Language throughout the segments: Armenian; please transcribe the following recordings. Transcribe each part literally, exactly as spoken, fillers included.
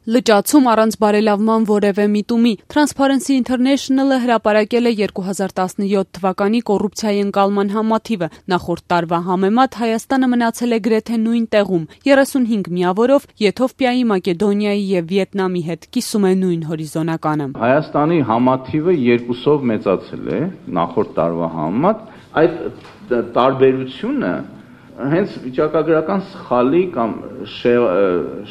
Լճացում առանց բարելավման որևէ միտումի։ Transparency International-ը հրապարակել է երկու հազար տասնյոթ թվականի կոռուպցիայի ընկալման համատիվը։ Նախորդ տարվա համեմատ Հայաստանը մնացել է գրեթե նույն տեղում՝ երեսունհինգ միավորով, Եթովպիայի, Մակեդոնիայի և Վիետնամի հետ կիսում է նույն հորիզոնականը։ Հայաստանի համատիվը երկուսով մեծացել է նախորդ տարվա համեմատ։ Այդ տարբերությունը հենց վիճակագրական սխալի կամ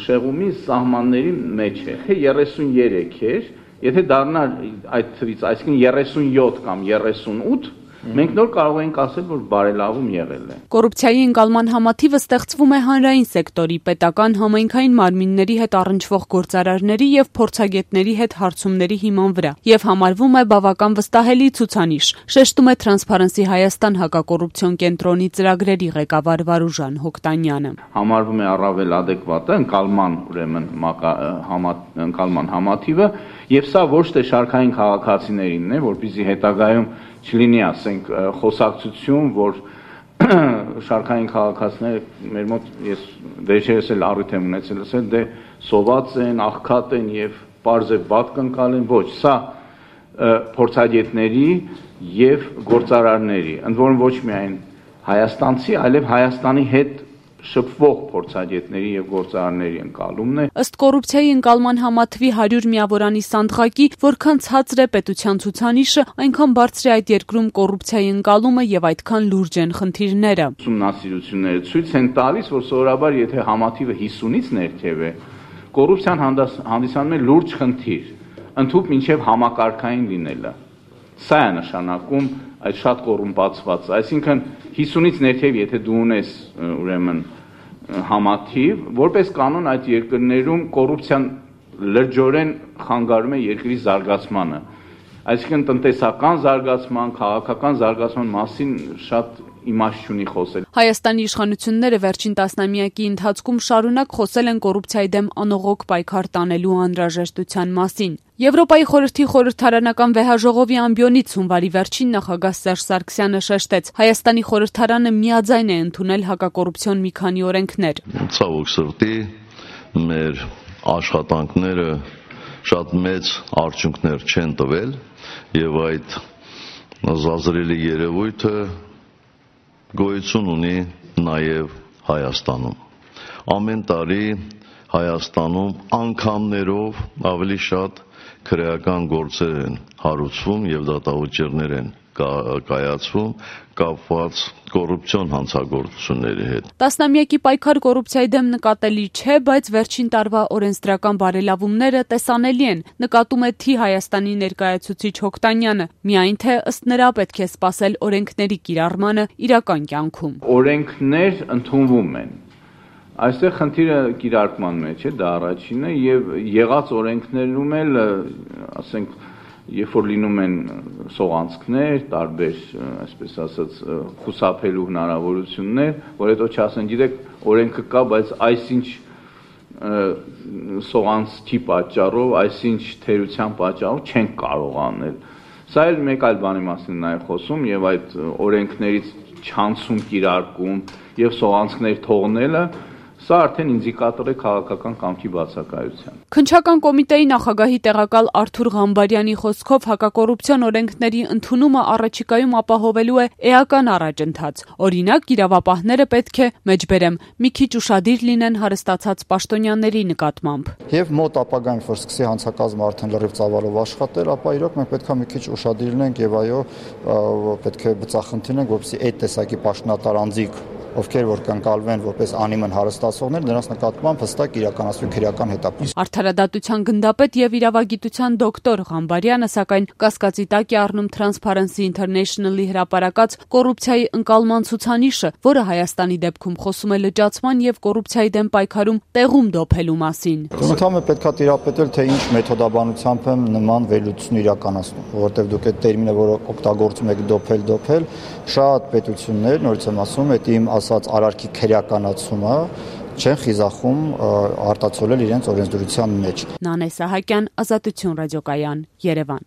շեղումի սահմանների մեջ է։ երեսուններեք էր, եթե դառնար այդ թվից, այսինքն երեսունյոթ կամ երեսունութ, մենք նոր կարող ենք ասել, որ բարելավում եղել է։ Կոռուպցիայի ընկալման համատիվը ստեղծվում է հանրային սեկտորի, պետական համայնքային մարմինների հետ առնչվող գործարարների և փորձագետների հետ հարցումների հիման վրա և համարվում է բավական վստահելի ցուցանիշ, շեշտում է Transparency Հայաստան հակակոռուպցիոն կենտրոնի ծրագրերի ղեկավար Վարուժան Հոկտանյանը։ Համարվում է առավել ադեկվատը ընկալման, ուրեմն ընկալման համատիվը, եւ սա ոչ թե շարքային քաղաքացիներինն է, որպեսզի հետագայում չլինի, ասենք, խոսակցություն, որ շարքային քաղաքացիները մեր մոտ ես վերջերս էլ առիթ եմ ունեցել ասել, դե սոված են, աղքատ են եւ պարզ է վատ կընկալեն, ոչ, սա փորձագետների եւ գործարարների, ընդ որում ոչ միայն հայաստանցի, այլև Հայաստանի հետ շփվող փորձագետների եւ գործարարների ընկալումն է։ Ըստ կոռուպցիայի ընկալման համատվի հարյուր միավորանի սանդղակի, որքան ցածր է պետության ցուցանիշը, այնքան բարձր է այդ երկրում կոռուպցիայի ընկալումը եւ այդքան լուրջ են խնդիրները։ Ուսումնասիրությունները ցույց են տալիս, որ սովորաբար եթե համատիվը հիսունից ներքև է, կոռուպցիան հանդիսանում է լուրջ խնդիր, ընդհուպ մինչեւ համակարգային լինելը։ Սա է նշանակում այդ շատ կոռումպացված, այսինքն հիսունից ներքև եթե դու ունես ուրեմն համատիվ, որպես կանոն այդ երկրներում կոռուպցիան լրջորեն խանգարում է երկրի զարգացմանը, այսինքն տնտեսական զարգացման, քաղաքական զարգացման մասին շատ իմաստ չունի խոսել։ Հայաստանի իշխանությունները վերջին տասնամյակի ընթացքում շարունակ խոսել են կոռուպցիայի դեմ անողոք պայքար տանելու անհրաժեշտության մասին։ Եվրոպայի խորհրդի խորհրդարանական վեհաժողովի ամբիոնից հունվարի վերջին նախագահ Սերժ Սարգսյանը շեշտեց. Հայաստանի խորհրդարանը միաձայն է ընդունել հակակոռուպցիոն մի քանի օրենքներ։ Ցավոք սրտի մեր աշխատանքները շատ մեծ արդյունքներ չեն տվել եւ այդ զազրելի երևույթը գոյություն ունի նաև Հայաստանում։ Ամեն տարի Հայաստանում անգամներով ավելի շատ քրեական գործեր են հարուցվում եւ դատավճիռներ են կայացվում կապված կոռուպցիոն հանցագործությունների հետ։ Տասնամյակի պայքար կոռուպցիայի դեմ նկատելի չէ, բայց վերջին տարվա օրենսդրական բարելավումները տեսանելի են, նկատում է Թի Հայաստանի ներկայացուցիչ Հոկտանյանը, միայն թե ըստ նրա պետք է սպասել օրենքների կիրառմանը իրական կյանքում։ Օրենքներ ընդունվում են։ Այստեղ խնդիրը կիրարկման մեջ է, դա առաջինը, եւ եղած օրենքներում էլ, ասենք, երբ որ լինում են սողանցքներ, տարբեր, այսպես ասած, խուսափելու հնարավորություններ, որ հետո չասեն, գիտեք, օրենքը կա, բայց այսինչ սողանցքի պատճառով, այսինչ թերության պատճառով չենք կարող անել։ Սա էլ մեկ այլ բանի մասին նաև խոսում եւ այդ օրենքներից չանցում կիրարկում եւ սողանցքներ թողնելը Սա արդեն ինդիկատոր է քաղաքական կամքի բացակայության։ Քննչական կոմիտեի նախագահի տեղակալ Արթուր Ղամբարյանի խոսքով հակակոռուպցիոն օրենքների ընդունումը առաջիկայում ապահովելու է էական առաջընթաց։ Օրինակ, իրավապահները պետք է, մեջբերեմ, մի քիչ ուշադիր լինեն հարստացած պաշտոնյաների նկատմամբ։ Եվ մոտ ապագայում, որ սկսի հանցակազմը արդեն լրիվ ծավալով աշխատել, ապա իրոք մենք պետք է մի քիչ ուշադիր լինենք եւ այո, պետք է բծախնդիրենք, որպեսզի այդ տեսակի պաշտոնատար անձիկ ովքեր որ կընկալվեն որպես անիմն հարստացողներ, նրանց նկատմամբ հստակ իրականացվի քրեական հետապնդում։ Արդարադատության գնդապետ եւ իրավագիտության դոկտոր Ղամբարյանը սակայն կասկածի տակ է առնում Transparency International-ի հրապարակած կոռուպցիայի ընկալման ցուցանիշը, որը Հայաստանի դեպքում խոսում է լճացման եւ կոռուպցիայի դեմ պայքարում տեղում դոփելու մասին։ Անդամը պետք է տիրապետել, թե ինչ մեթոդաբանությամբ են նման վերլուծություն իրականացնում, որովհետեւ դուք այդ տերմինը, որը օգտագործում եք դոփել, դոփել, շատ պետություններ, նորից եմ ասում, այդ իմ ասած արարքի քրեականացումը չեն խիզախում արտացոլել իրենց օրենսդրության մեջ։ Նանե Սահակյան, Ազատություն ռադիոկայան, Երևան։